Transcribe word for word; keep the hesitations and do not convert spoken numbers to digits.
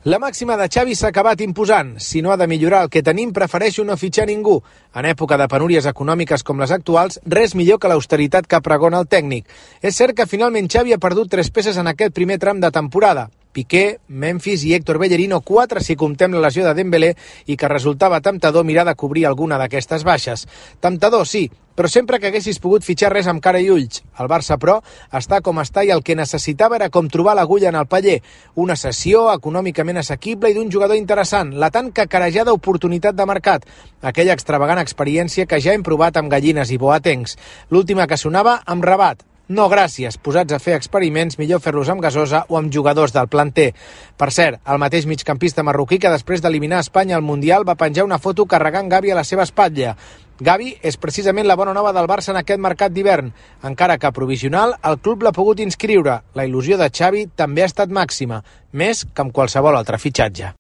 La màxima de Xavi s'ha acabat imposant. Si no ha de millorar el que tenim, prefereixo no fitxar ningú. En època de penúries econòmiques com les actuals, res millor que l'austeritat que pregona el tècnic. És cert que finalment Xavi ha perdut tres peces en aquest primer tram de temporada. Piqué, Memphis i Héctor Bellerino, quatre si comptem la lesió de Dembélé, i que resultava temptador mirar de cobrir alguna d'aquestes baixes. Temptador, sí, però sempre que haguessis pogut fitxar res amb cara i ulls. El Barça, però, està com està i el que necessitava era com trobar l'agulla en el paller. Una cessió econòmicament assequible i d'un jugador interessant, la tan cacarejada oportunitat de mercat, aquella extravagant experiència que ja hem provat amb Gallines i Boatengs. L'última que sonava amb Rabat. No, gràcies. Posats a fer experiments, millor fer-los amb gasosa o amb jugadors del planter. Per cert, el mateix migcampista marroquí que després d'eliminar Espanya al Mundial va penjar una foto carregant Gavi a la seva espatlla. Gavi és precisament la bona nova del Barça en aquest mercat d'hivern. Encara que provisional, el club l'ha pogut inscriure. La il·lusió de Xavi també ha estat màxima, més que amb qualsevol altre fitxatge.